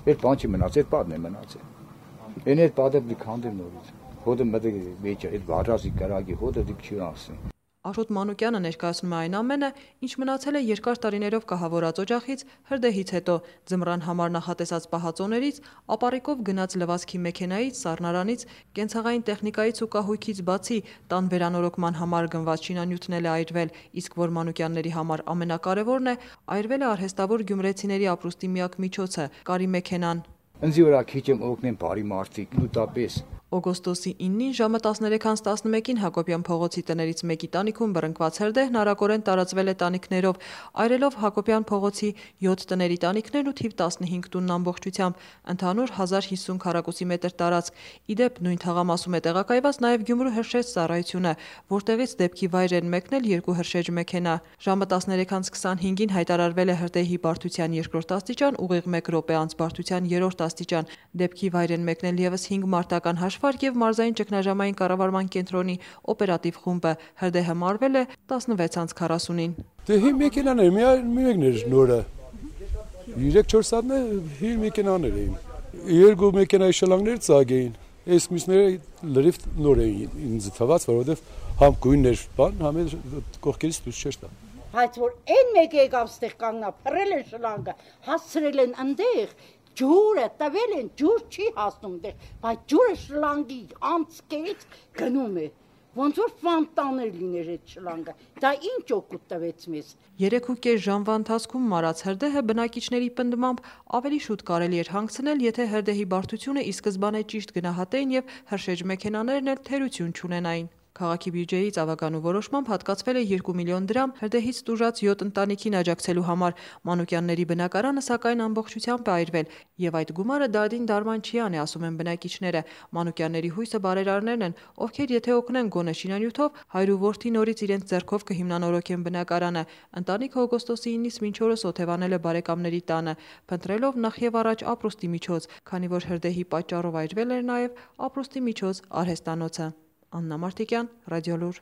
Այդ բան չի մնացել, այդ պատն է մնացել։ Այն այդ պատը դի քանդել նորից։ Հոդը մտի մեջ այդ վարազի կրակի հոդը դի չյուրասի։ Աշոտ Մանուկյանը ներկայացնում է այն ամենը, ինչ մնացել է երկար տարիներով կահավորած օջախից, հրդեհից հետո, ձմռան համար նախատեսած պահածոներից, ապառիկով գնաց լվացքի մեքենայից, սառնարանից, կենցաղային տեխնիկայից ու կահույքից բացի, տան վերանորոգման համար գնված շինանյութն էլ է այրվել, իսկ որ Մանուկյանների համար ամենակարևորն է, այրվել է արհեստավոր գյումրեցիների ապրուստի միակ միջոցը՝ կարի մեքենան։ Ինձ վրա քիչ եմ օգնեն բարի մարդիկ, նույնպես։ Օգոստոսի 9-ին ժամը 13:11-ին Հակոբյան փողոցի տներից մեկի տանիքում բռնկված հրդեհն արագորեն տարածվել է տանիքներով, այրելով Հակոբյան փողոցի 7 տների տանիքներն ու թիվ 15 տունն ամբողջությամբ, ընդհանուր 1050 քառակուսի մետր տարածք։ Իդեպ նույն թաղամասում է տեղակայված նաև Գյումրու հրշեջ ծառայությունը, որտեղից դեպքի վայր են մեկնել 2 հրշեջ մեքենա։ Ժամը 13:25-ին հայտարարվել է հրդեհի բարդության 2-րդ աստիճան, ուղիղ 1 րոպե անց բարդության 3-րդ աստիճան։ Դեպքի վայր են մեկնել եւս 5 մարտական հաշվարկ եւ մարզային ճգնաժամային կառավարման կենտրոնի օպերատիվ խումբը։ Հրդեհը մարվել է 16:40-ին։ Դե հին մեքենաներ, միայն նորը 3-4 սատնը հին մեքենաներ էին։ Երկու մեքենայի շլանգներ ծագ էին։ Այս մյուսները լրիվ նոր էին ինձ թվաց, որովհետեւ համ գույններ բան, համ կողքերից դուրս չէր տա։ Բայց որ այն մեկը եկավ ստեղ կանգնա, փռել են շլանգը, հասցրել են այնտեղ, ջուրը տվել են, ջուր չի հասնում դեղ, բայց ջուրը շլանգի անցքից գնում է, ոնց որ ֆանտաներ լիներ այդ շլանգը, դա ինչ օգուտ տվեց մեզ։ 3.5 ժամվա ընթացքում մարած հրդեհը բնակիչների պնդմամբ ավելի շուտ կարելի էր հանգցնել, եթե հրդեհի բարդությունը ի սկզբանե ճիշտ գնահատեին եւ հրշեջ մեքենաներն էլ թերություն չունենային։ Քաղաքի բյուջեից ավականու որոշմամբ հատկացվել է 2 միլիոն դրամ հրդեհից տուժած 7 ընտանիքին աջակցելու համար։ Մանուկյանների բնակարանը սակայն ամբողջությամբ է այրվել, եւ այդ գումարը դադին դարման չի անի, ասում են բնակիչները։ Մանուկյանների հույսը բարերարներն են, ովքեր եթե օգնեն գոնե շինանյութով, հայր ու որդի նորից իրենց ձեռքով կհիմնանորոգեն բնակարանը։ Ընտանիքը օգոստոսի 9-ից մինչ օրս օթևանել է բարեկամների տանը, փնտրելով նախ եւ առաջ ապրուստի միջոց, քանի որ հրդեհի պատճառով այրվել էր նաեւ ապրուստի միջոց արհեստանոցը։ Աննա Մարտիկյան, Ռադիոլուր։